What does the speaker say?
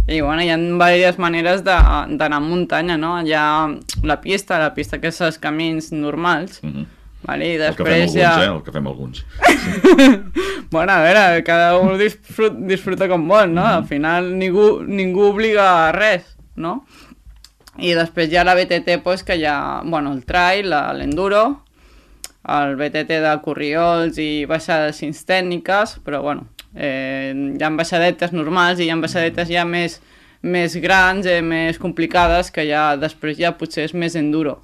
I bueno, hi ha diverses maneres d'anar en muntanya, no? Hi ha la pista que és els camins normals, vale? I El que fem després alguns, el que fem alguns. Bueno, a veure, cada un disfruta com vol, no? Al final ningú obliga a res, no? I després hi ha la BTT, pues, que hi ha, bueno, el trail, l'enduro, el BTT de corriols i baixades sense tècniques, però bueno, hi ha baixadetes normals i hi ha baixadetes ja més grans, més complicades, que ja després ja potser és més enduro.